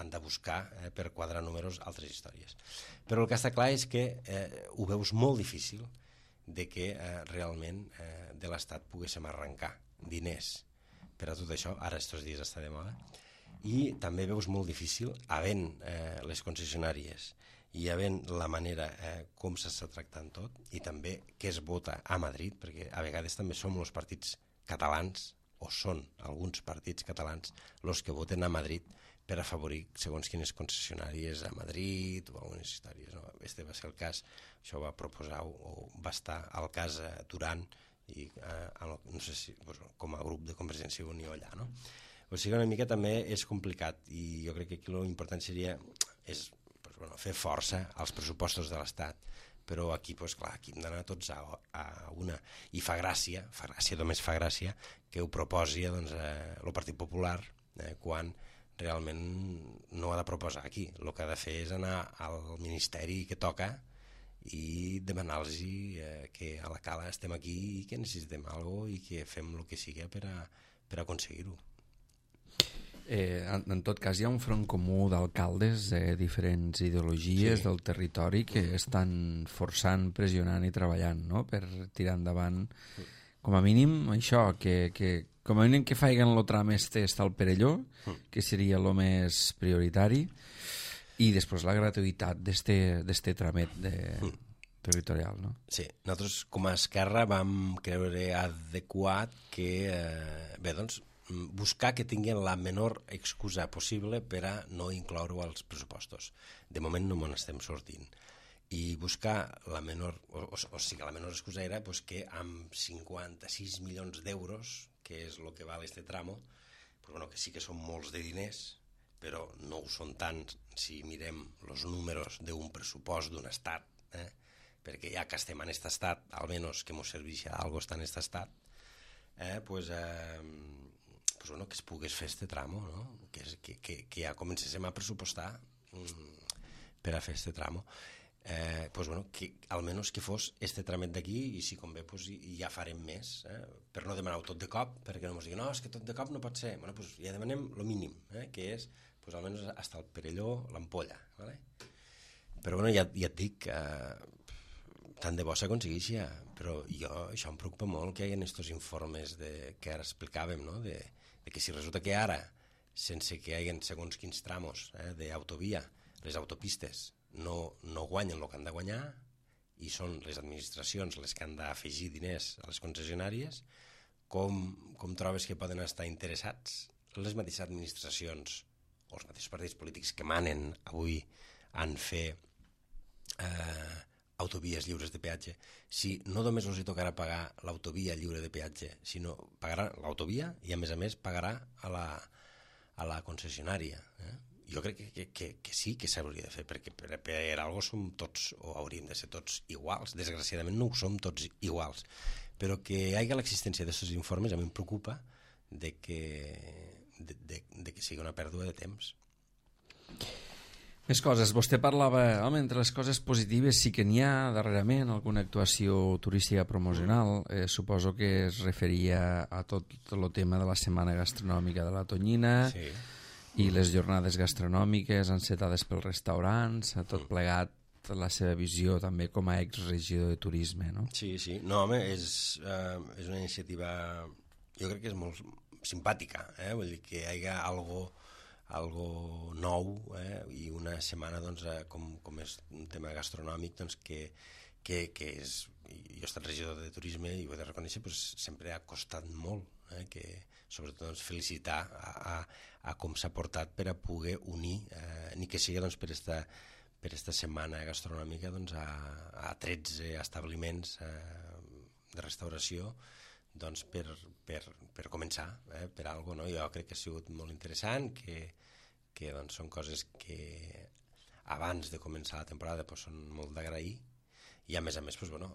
han de buscar per quadrar números altres històries. Però el que està clar és que ho veus molt difícil de que realment de l'Estat poguéssim arrencar diners per a tot això. Ara estos dies està de moda. I també veus molt difícil, havent les concessionàries i havent la manera com s'està tractant tot, i també què es vota a Madrid, perquè a vegades també som els partits catalans, o són alguns partits catalans, els que voten a Madrid per afavorir segons quines concessionàries a Madrid o algunes històries. Este va ser el cas, això va proposar o va estar al cas Duran, i no sé si com a grup de Convergència i Unió allà, no? O sigui, una mica també és complicat, i jo crec que aquí l'important seria fer força als pressupostos de l'Estat, però aquí, clar, aquí hem d'anar tots a una. I fa gràcia, només fa gràcia, que ho proposi el Partit Popular quan realment no ha de proposar aquí. El que ha de fer és anar al ministeri que toca i demanar-los que a la cala estem aquí i que necessitem alguna cosa i que fem el que sigui per aconseguir-ho.
En tot cas, hi ha un front comú d'alcaldes de diferents ideologies del territori que estan forçant, pressionant i treballant, no?, per tirar endavant, com a mínim, això, que com a mínim que faiguen el tram este està al Perelló, que seria el més prioritari, i després la gratuïtat d'este tramet territorial, no?
Sí, nosaltres com a Esquerra vam creure adequat que, buscar que tinguin la menor excusa possible per a no incloure-ho als pressupostos. De moment no m'ho estem sortint. I buscar la menor, o sigui, la menor excusa era que amb 56 milions d'euros, que és el que val este tramo, que sí que són molts de diners, però no ho són tant si mirem els números d'un pressupost d'un estat, perquè ja que estem en aquest estat, almenys que ens serveixi alguna cosa en aquest estat, que es pogués fer este tramo, no? Que ja comencéssim a pressupostar per a fer este tramo. Que almenys que fos este tramet d'aquí, i si convé ja farem més, per no demanar-ho tot de cop, perquè no ens diguin, no, és que tot de cop no pot ser. Ja demanem el mínim, que és almenys fins al Perelló, l'Ampolla. Però ja et dic, tant de bo s'aconsegueixi, però això em preocupa molt que hi ha aquests informes que ara explicàvem, de que si resulta que ara, sense que hi hagi segons quins tramos d'autovia, les autopistes no guanyen el que han de guanyar i són les administracions les que han d'afegir diners a les concessionàries, com trobes que poden estar interessats les mateixes administracions o els mateixos partits polítics que manen avui en fer autovies lliures de peatge, si no només els hi tocarà pagar l'autovia lliure de peatge, sinó pagarà l'autovia i a més pagarà a la concessionària. Jo crec que sí que s'hauria de fer, perquè per algo som tots, o hauríem de ser tots iguals. Desgraciadament no ho som tots iguals, però que hi hagi l'existència d'aquests informes a mi em preocupa de que sigui una pèrdua de temps.
Més coses. Vostè parlava, home, entre les coses positives sí que n'hi ha darrerament alguna actuació turística promocional. Suposo que es referia a tot el tema de la setmana gastronòmica de la Tonyina, sí, i les jornades gastronòmiques encetades pels restaurants, a tot plegat la seva visió també com a exregidor de turisme, no?
Sí, sí. No, home, és una iniciativa, jo crec que és molt simpàtica, vull dir que hi ha algo nou, i una setmana doncs, com és un tema gastronòmic doncs, que és, jo he estat regidor de turisme i ho he de reconèixer, doncs, sempre ha costat molt, que sobretot doncs, felicitar a com s'ha portat per a poder unir, ni que sigui doncs, per esta setmana gastronòmica doncs, a 13 establiments de restauració doncs, per començar, per alguna cosa, no? Jo crec que ha sigut molt interessant, que doncs, són coses que abans de començar la temporada doncs, són molt d'agrair, i a més doncs, bueno,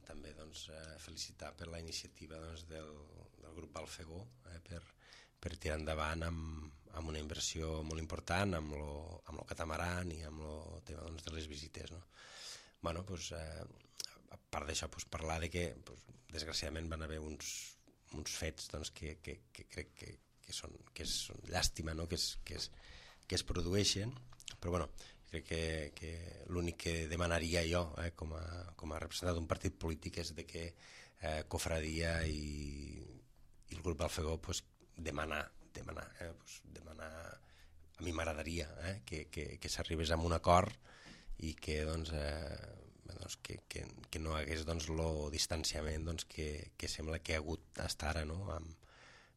també doncs, felicitar per la iniciativa doncs, del grup Balfegó, per tirar endavant amb una inversió molt important amb el catamaran i amb el tema doncs, de les visites, no? Bueno, doncs, a part d'això, doncs, parlar de que doncs, desgraciadament van haver uns fets doncs, que crec que són llàstima, no? que es produeixen, però bueno, crec que l'únic que demanaria jo com a representant d'un partit polític és de que Cofradia i el grup Balfegó pues, demanar, a mi m'agradaria que s'arribés a un acord i que doncs, que no hagués doncs, el distanciament doncs, que sembla que ha hagut fins ara, no?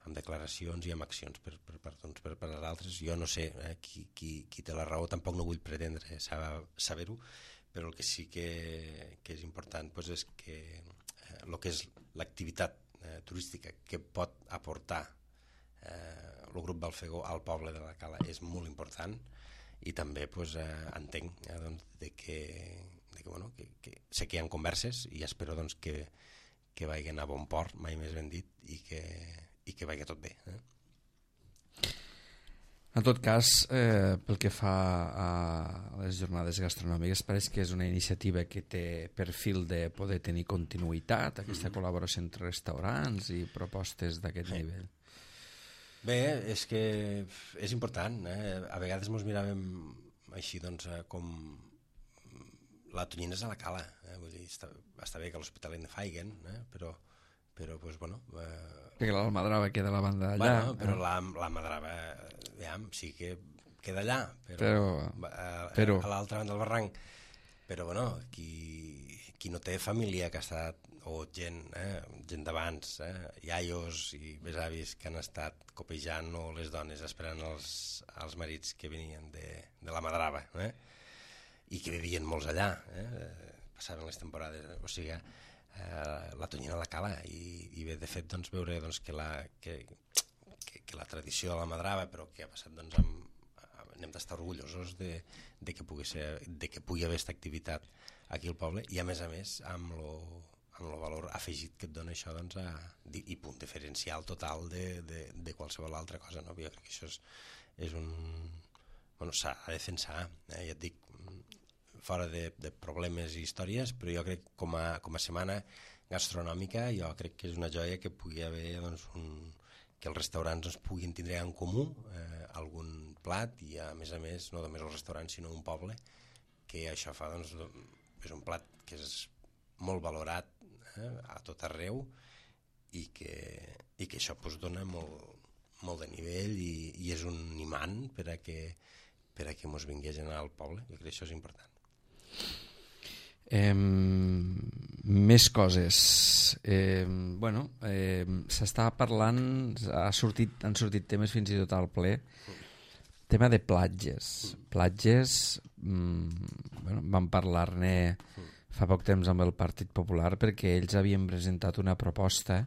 amb declaracions i amb accions per les altres. Jo no sé qui té la raó, tampoc no vull pretendre saber-ho, però el que sí que és important doncs, és que el que és l'activitat turística que pot aportar el grup Balfegó al poble de la Cala és molt important, i també doncs, entenc doncs, que sé que hi ha converses i espero doncs, que vagin a bon port, mai més ben dit, i que vagi tot bé.
En tot cas, pel que fa a les jornades gastronòmiques, pareix que és una iniciativa que té perfil de poder tenir continuïtat, aquesta col·laboració entre restaurants i propostes d'aquest nivell.
Bé, és que és important. A vegades ens miràvem així doncs, com la Tonyina és a la Cala. Vull dir, està bé que a l'Hospitalet ne faiguen, però pues, bueno...
Que l'Almadrava queda a la banda d'allà.
Bueno, però l'Almadrava sí que queda allà, però a l'altra banda del barranc. Però, bueno, qui no té família que ha estat, o gent d'abans, iaios i besavis que han estat copejant, o les dones esperant els marits que venien de l'Almadrava, i que vivien molts allà, passaven les temporades, o sigui, la Tonyina a la Cala, i bé, de fet, doncs, veure doncs, que la tradició de l'Almadrava, però que ha passat, doncs, n'hem d'estar orgullosos de que pugui haver aquesta activitat aquí al poble, i a més amb el valor afegit que et dona això, doncs, i punt diferencial total de qualsevol altra cosa, no? Jo crec que això és un... Bueno, s'ha de defensar, ja et dic, fora de problemes i històries, però jo crec com a setmana gastronòmica, jo crec que és una joia que pugui haver doncs, que els restaurants doncs, puguin tindre en comú algun plat, i a més, no només els restaurants, sinó un poble, que això fa, doncs, és un plat que és molt valorat a tot arreu, i que això doncs, dona molt de nivell, i és un imant per a que mos vingui gent al poble. Jo crec que això és important.
Més coses. S'està parlant, han sortit temes fins i tot al ple, Tema de platges. Platges, bueno, vam parlar-ne fa poc temps amb el Partit Popular perquè ells havien presentat una proposta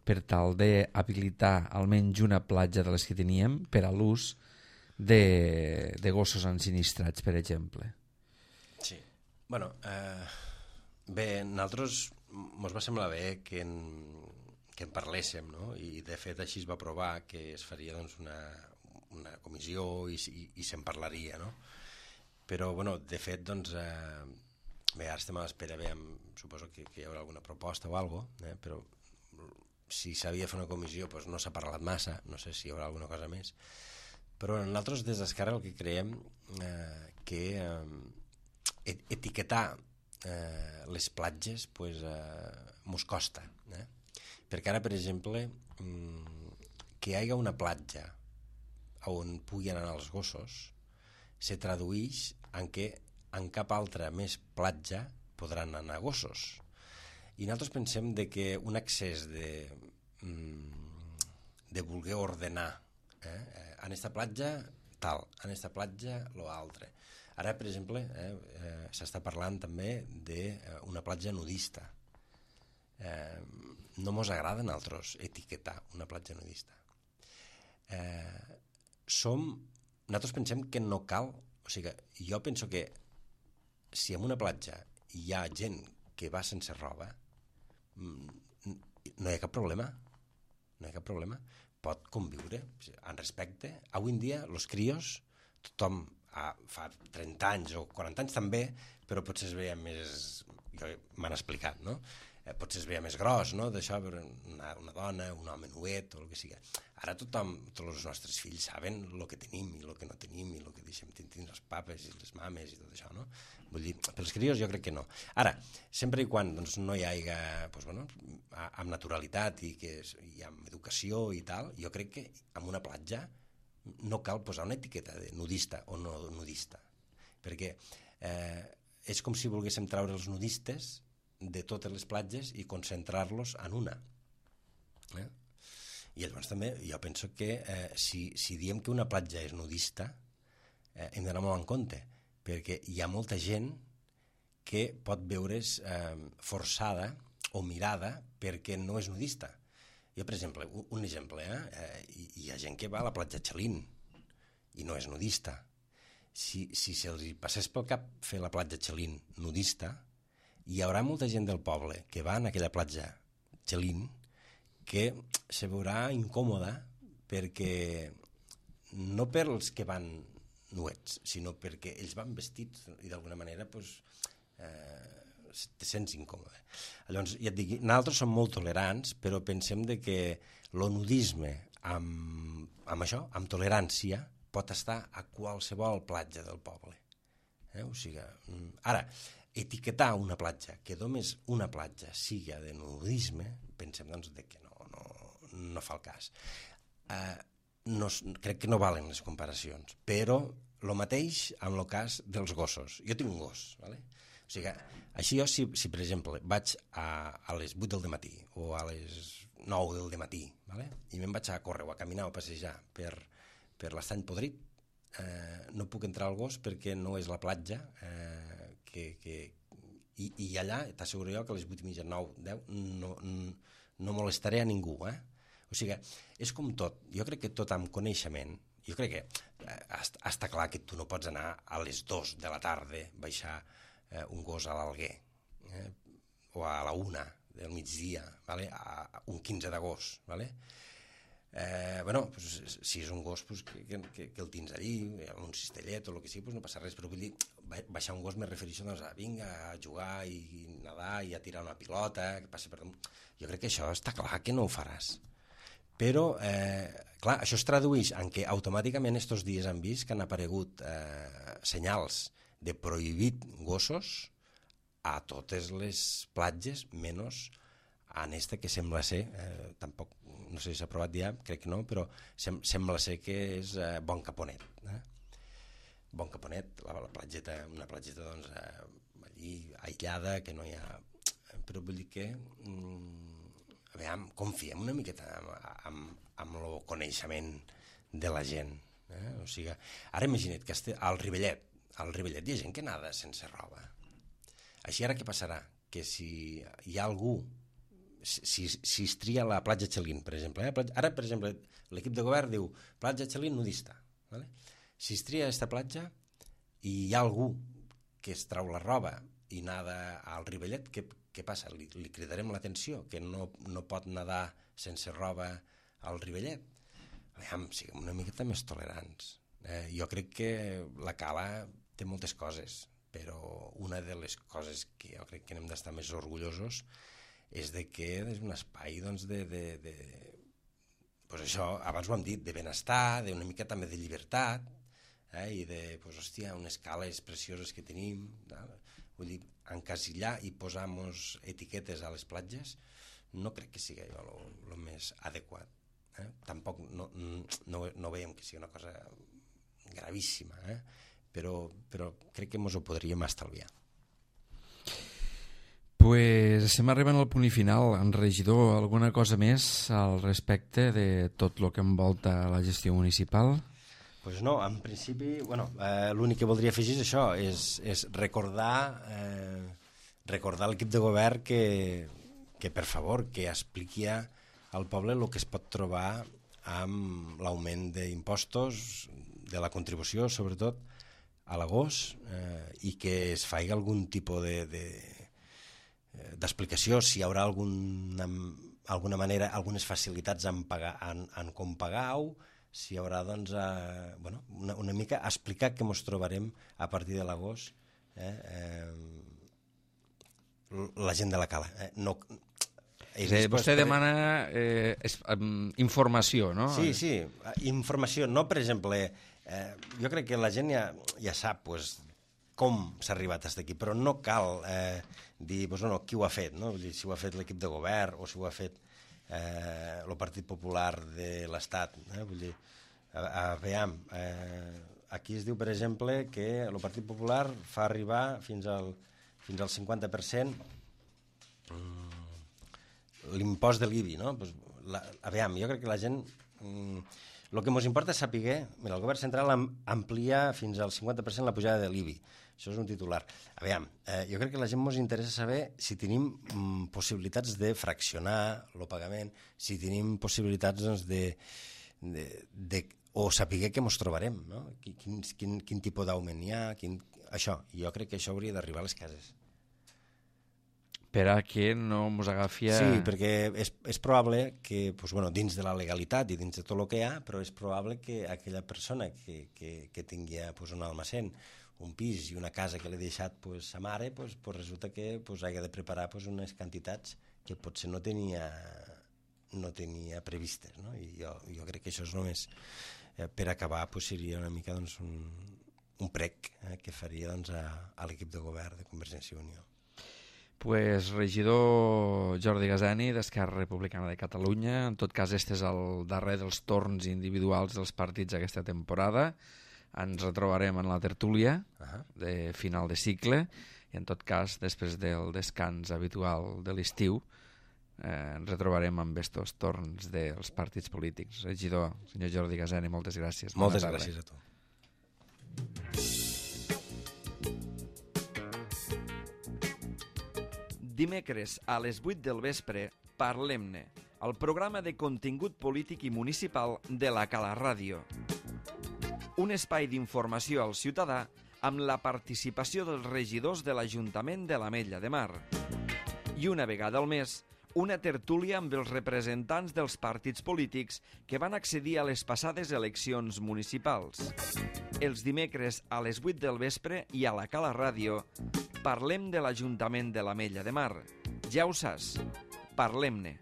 per tal d'habilitar almenys una platja de les que teníem per a l'ús de gossos ensinistrats, per exemple.
Sí. Bueno, bé, nosaltres ens va semblar bé que en parléssim, no? I de fet així es va aprovar que es faria doncs, una comissió i se'n parlaria, no? Però, bueno, de fet, doncs, bé, ara estem a l'espera, bé, suposo que hi haurà alguna proposta o alguna cosa, però si s'havia de fer una comissió doncs no s'ha parlat massa, no sé si hi haurà alguna cosa més. Però nosaltres des d'Esquerra el que creiem que etiquetar les platges pues, mos costa. Perquè ara, per exemple, que hi hagi una platja on puguin anar els gossos se tradueix en que en cap altra més platja podran anar gossos. I nosaltres pensem de que un excés de voler ordenar en esta platja tal, en esta platja lo altre. Ara, per exemple, s'està parlant també d'una platja nudista. No mos agrada a nosaltres etiquetar una platja nudista. Nosaltres pensem que no cal, o sigui, jo penso que si en una platja hi ha gent que va sense roba, no hi ha cap problema. No hi ha cap problema. Pot conviure en respecte. Avui en dia, els crios, tothom fa 30 anys o 40 anys també, però potser es veia més... M'han explicat, no? Potser es veia més gros, no?, d'això, una dona, un home nuet o el que sigui. Ara tothom, tots els nostres fills saben el que tenim i el que no tenim i el que deixem tenir els papes i les mames i tot això, no? Vull dir, pels crios jo crec que no. Ara, sempre i quan doncs, no hi hagi, doncs, bueno, amb naturalitat i amb educació i tal, jo crec que en una platja no cal posar una etiqueta de nudista o no nudista, perquè és com si volguéssim treure els nudistes de totes les platges i concentrar-los en una. I llavors també jo penso que si diem que una platja és nudista hem d'anar molt en compte, perquè hi ha molta gent que pot veure's forçada o mirada perquè no és nudista. Jo, per exemple, un exemple, hi ha gent que va a la platja Chalín i no és nudista. Si se'ls passés pel cap fer la platja Chalín nudista, hi haurà molta gent del poble que va en aquella platja Chalín que se veurà incòmoda perquè no per els que van nuets, sinó perquè ells van vestits i d'alguna manera pues, te sents incòmode. Llavors, ja et dic, nosaltres som molt tolerants, però pensem de que el nudisme amb això, amb tolerància, pot estar a qualsevol platja del poble. O sigui, ara, etiquetar una platja, que només una platja siga de nudisme, pensem doncs que no fa el cas. Crec que no valen les comparacions, però el mateix amb el cas dels gossos. Jo tinc un gos, ¿vale? O sigui, així jo, si per exemple vaig a les 8 del matí o a les 9 del matí, ¿vale? I me'n vaig a córrer o a caminar o a passejar per l'estany podrit, no puc entrar al gos perquè no és la platja i allà t'asseguro jo que a les 8:30, 9, 10 no molestaré a ningú, O sigui, és com tot. Jo crec que tot amb coneixement, jo crec que està clar que tu no pots anar a les 2 de la tarda baixar un gos a l'Alguer o a la 1 del migdia, ¿vale? A un 15 d'agost, ¿vale? Bueno, pues, si és un gos pues, que el tens allí, un cistellet o el que sigui, pues no passa res, però vull dir, baixar un gos me refereixo doncs, a vinga, a jugar i nedar i a tirar una pilota, que passi per damunt. Jo crec que això està clar que no ho faràs. Però, clar, això es tradueix en que automàticament estos dies han vist que han aparegut senyals de prohibit gossos a totes les platges, menys en esta que sembla ser, tampoc, no sé si s'ha provat ja, crec que no, però sembla ser que és Bon Caponet. Bon Caponet, la platgeta, una platgeta doncs, allí aïllada, que no hi ha... Però vull dir que... confiem una miqueta amb el coneixement de la gent, O sigui, ara imagina't que al Rivellet hi ha gent que nada sense roba. Així ara què passarà? Que si hi ha algú, si es tria la platja Xalín, per exemple, ara, per exemple, l'equip de govern diu platja Xalín nudista. ¿Vale? Si es tria aquesta platja i hi ha algú que es trau la roba i nada al Rivellet, què passa? Li cridarem l'atenció, que no pot nedar sense roba al Rivellet? Aviam, siguem una miqueta més tolerants. Jo crec que la Cala té moltes coses, però una de les coses que jo crec que n'hem d'estar més orgullosos és de que és un espai doncs, pues això, abans ho hem dit, de benestar, d'una mica també de llibertat, i de, pues, hòstia, unes cales precioses que tenim, vull dir, encasillar i posar-nos etiquetes a les platges no crec que sigui el més adequat. Tampoc no veiem que sigui una cosa gravíssima, però crec que ens ho podríem estalviar.
Pues estem arribant al punt final. En regidor, alguna cosa més al respecte de tot el que envolta la gestió municipal?
Pues no, en principi, l'únic que voldria afegir és això, és recordar l'equip de govern que per favor, que expliqui al poble el que es pot trobar amb l'augment d'impostos, de la contribució, sobretot, a l'agost, i que es faci algun tipus d'explicació, si hi haurà alguna manera, algunes facilitats en com pagar-ho, si hi haurà doncs, una mica explicar què ens trobarem a partir de l'agost la gent de la Cala.
Vostè demana informació, no?
Sí, informació. No, per exemple, jo crec que la gent ja sap com s'ha arribat fins aquí, però no cal dir qui ho ha fet, no? Si ho ha fet l'equip de govern o si ho ha fet el Partit Popular de l'Estat. Vull dir, veiem, aquí es diu, per exemple, que el Partit Popular fa arribar fins al 50% l'impost de l'IBI, no? Aviam, jo crec que la gent... El que ens importa és saber... Mira, el govern central amplia fins al 50% la pujada de l'IBI. Això és un titular. Aviam, jo crec que la gent ens interessa saber si tenim possibilitats de fraccionar el pagament, si tenim possibilitats o saber què ens trobarem, no? Quin tipus d'augment hi ha, això. Jo crec que això hauria d'arribar a les cases.
Per a que no ens agafi...
Sí, perquè és probable que, dins de la legalitat i dins de tot el que hi ha, però és probable que aquella persona que tingui un almacén, un pis i una casa que l'he deixat sa mare, resulta que hagi de preparar unes quantitats que potser no tenia previstes. No? I jo crec que això és només per acabar seria una mica un prec que faria a l'equip de govern de Convergència i Unió.
Pues regidor Jordi Gasani, d'Esquerra Republicana de Catalunya. En tot cas, este és el darrer dels torns individuals dels partits aquesta temporada. Ens retrobarem en la tertúlia de final de cicle i, en tot cas, després del descans habitual de l'estiu, ens retrobarem amb estos torns dels partits polítics. Regidor, senyor Jordi Gasani, moltes gràcies.
Moltes gràcies a tu.
Dimecres a les 8 del vespre, Parlem-ne, el programa de contingut polític i municipal de la Cala Ràdio. Un espai d'informació al ciutadà amb la participació dels regidors de l'Ajuntament de l'Ametlla de Mar. I una vegada al mes, una tertúlia amb els representants dels partits polítics que van accedir a les passades eleccions municipals. Els dimecres a les 8 del vespre i a la Cala Ràdio parlem de l'Ajuntament de l'Ametlla de Mar. Ja ho saps, parlem-ne.